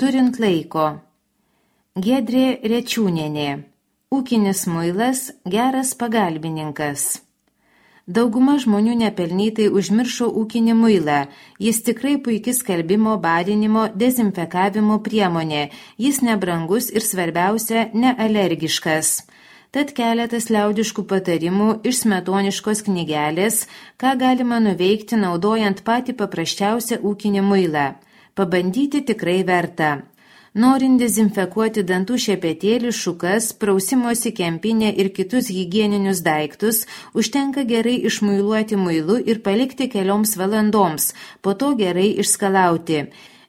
Turint laiko. Giedrė Rečiūnienė. Ūkinis muilas – geras pagalbininkas. Dauguma žmonių nepelnytai užmiršo ūkinį muilą. Jis tikrai puikis skalbimo, barinimo, dezinfekavimo priemonė. Jis nebrangus ir svarbiausia – nealergiškas. Tad keletas liaudiškų patarimų iš smetoniškos knygelės, ką galima nuveikti naudojant patį paprasčiausią ūkinį muilą. Pabandyti tikrai verta. Norint dezinfekuoti dantų šepetėlį, šukas, prausimosi kempinę ir kitus higieninius daiktus, užtenka gerai išmuiluoti muilu ir palikti kelioms valandoms, po to gerai išskalauti.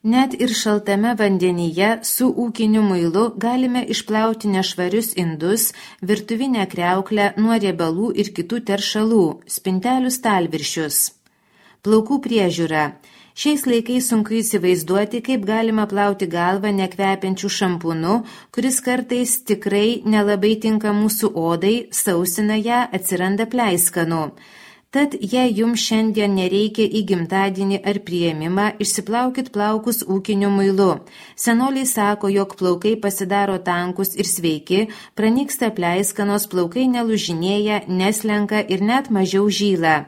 Net ir šaltame vandenyje su ūkiniu muilu galime išplauti nešvarius indus, virtuvinę kriauklę nuo riebalų ir kitų teršalų, spintelių stalviršius. Plaukų priežiūra. Šiais laikais sunku įsivaizduoti, kaip galima plauti galvą nekvepiančių šampūnu, kuris kartais tikrai nelabai tinka mūsų odai, sausina ją, atsiranda pleiskanų. Tad jei jums šiandien nereikia į gimtadienį ar priėmimą, išsiplaukit plaukus ūkiniu muilu. Senoliai sako, jog plaukai pasidaro tankus ir sveiki, pranyksta pleiskanos, plaukai nelužinėja, neslenka ir net mažiau žyla.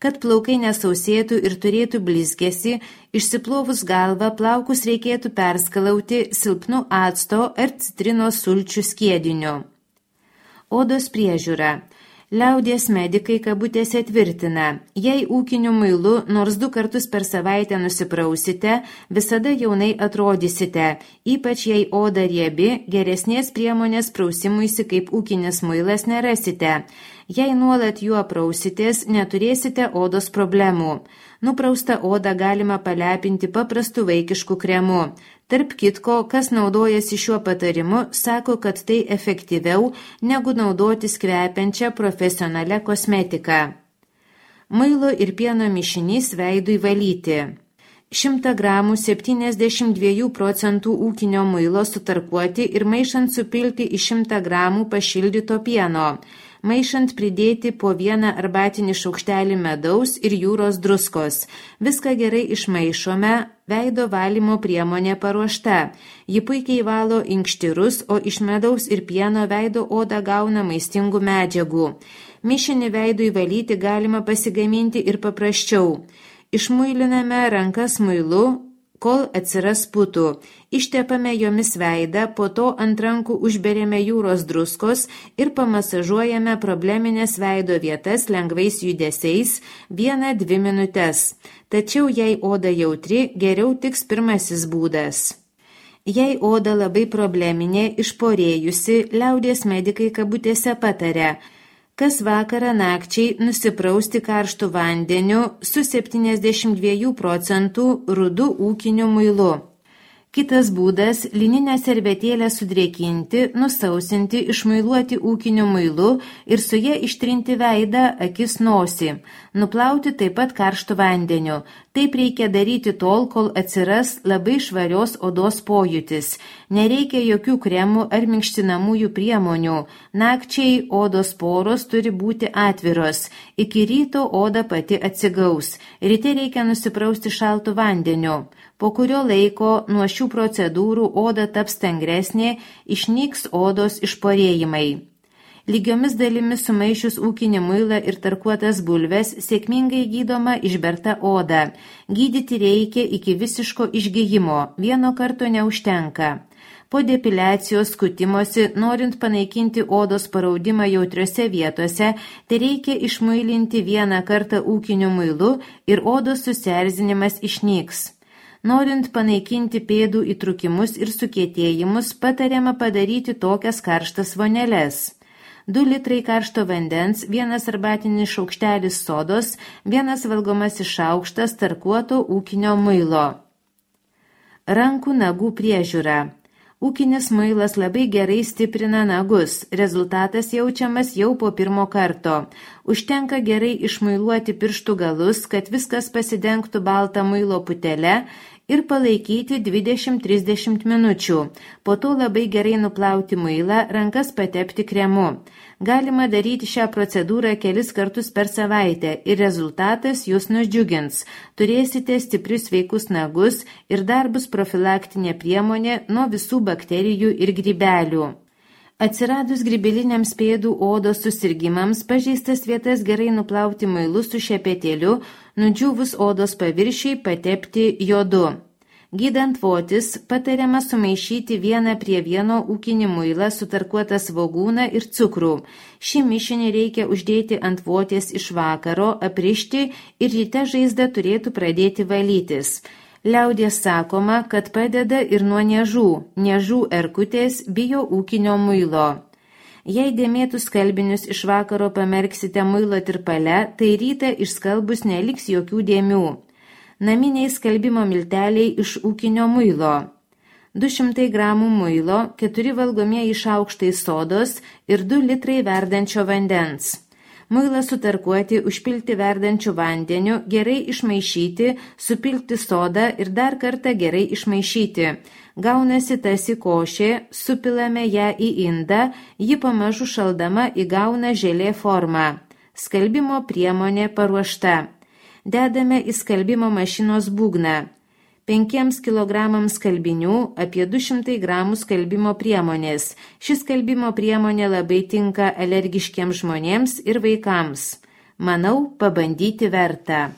Kad plaukai nesausėtų ir turėtų blizgesį, išsiplovus galvą plaukus reikėtų perskalauti silpnu acto ar citrinos sulčių skiediniu. Odos priežiūra. Liaudies medikai kabutėse tvirtina, jei ūkiniu muilu nors 2 kartus per savaitę nusiprausite, visada jaunai atrodysite, ypač jei oda riebi, geresnės priemonės prausimuisi kaip ūkinis muilas nerasite. Jei nuolat juo prausitės, neturėsite odos problemų. Nupraustą odą galima palepinti paprastu vaikišku kremu. Tarp kitko, kas naudojasi šiuo patarimu, sako, kad tai efektyviau negu naudotis kvepiančią profesionalią kosmetiką. Muilo ir pieno mišinys veidui valyti. 100 gramų 72% ūkinio muilo sutarkuoti ir maišant supilti į 100 gramų pašildyto pieno. Maišant pridėti po 1 arbatinį šaukštelį medaus ir jūros druskos. Viską gerai išmaišome, veido valymo priemonė paruošta. Ji puikiai valo inkštirus, o iš medaus ir pieno veido oda gauna maistingų medžiagų. Mišinį veidui valyti galima pasigaminti ir paprasčiau. Išmuiliname rankas muilu, kol atsiras putų. Ištepame jomis veidą, po to ant rankų užberiame jūros druskos ir pamasažuojame probleminės veido vietas lengvais judesiais 1-2 minutes. Tačiau jei oda jautri, geriau tiks pirmasis būdas. Jei oda labai probleminė, išporėjusi, liaudies medikai kabutėse pataria, kas vakarą nakčiai nusiprausti karštų vandeniu su 72% rudu ūkiniu muilu. Kitas būdas – lininę servetėlę sudrėkinti, nusausinti, išmuiluoti ūkiniu muilu ir su ja ištrinti veidą, akis, nosį. Nuplauti taip pat karštų vandeniu. Taip reikia daryti tol, kol atsiras labai švarios odos pojūtis. Nereikia jokių kremų ar minkštinamųjų priemonių. Nakčiai odos poros turi būti atviros. Iki ryto oda pati atsigaus. Ryte reikia nusiprausti šaltu vandeniu. Po kurio laiko nuo šių procedūrų oda taps stangresnė, išnyks odos išporėjimai. Lygiomis dalimis sumaišius ūkinį muilą ir tarkuotas bulves sėkmingai gydoma išberta oda. Gydyti reikia iki visiško išgijimo, 1 karto neužtenka. Po depiliacijos skutimosi, norint panaikinti odos paraudimą jautriose vietose, tai reikia išmuilinti 1 kartą ūkiniu muilu ir odos susierzinimas išnyks. Norint panaikinti pėdų įtrukimus ir sukietėjimus, patariama padaryti tokias karštas voneles. 2 litrai karšto vandens, 1 arbatinis šaukštelis sodos, 1 valgomasis šaukštas tarkuoto ūkinio muilo. Rankų nagų priežiūra. Ūkinis muilas labai gerai stiprina nagus, rezultatas jaučiamas jau po 1 karto. Užtenka gerai išmuiluoti pirštų galus, kad viskas pasidengtų baltą muilo putelę ir palaikyti 20-30 minučių. Po to labai gerai nuplauti muilą, rankas patepti kremu. Galima daryti šią procedūrą kelis kartus per savaitę ir rezultatas jūs nudžiugins. Turėsite stiprius sveikus nagus ir dar bus profilaktinė priemonė nuo visų bakterijų ir grybelių. Atsiradus grybeliniams pėdų odos susirgimams, pažeistas vietas gerai nuplauti muilu su šepetėliu, nudžiūvus odos paviršiai patepti jodu. Gydant votis, patariama sumaišyti 1:1 ūkinį muilą, sutarkuotą svogūną ir cukrų. Šį mišinį reikia uždėti ant voties iš vakaro, aprišti ir ryte žaizda turėtų pradėti valytis. Liaudies sakoma, kad padeda ir nuo niežų. Niežų erkutės bijo ūkinio muilo. Jei dėmėtus skalbinius iš vakaro pamerksite muilo tirpale, tai rytą išskalbus neliks jokių dėmių. Naminiai skalbimo milteliai iš ūkinio muilo. 200 gramų muilo, 4 valgomieji šaukštai sodos ir 2 litrai verdančio vandens. Muilą sutarkuoti, užpilti verdančiu vandeniu, gerai išmaišyti, supilti sodą ir dar kartą gerai išmaišyti. Gaunasi tasi košė, supilame ją į indą, ji pamažu šaldama įgauna želė formą. Skalbimo priemonė paruošta. Dedame į skalbimo mašinos būgną. 5 kg skalbinių, apie 200 gramų skalbimo priemonės. Ši skalbimo priemonė labai tinka alergiškiems žmonėms ir vaikams. Manau, pabandyti verta.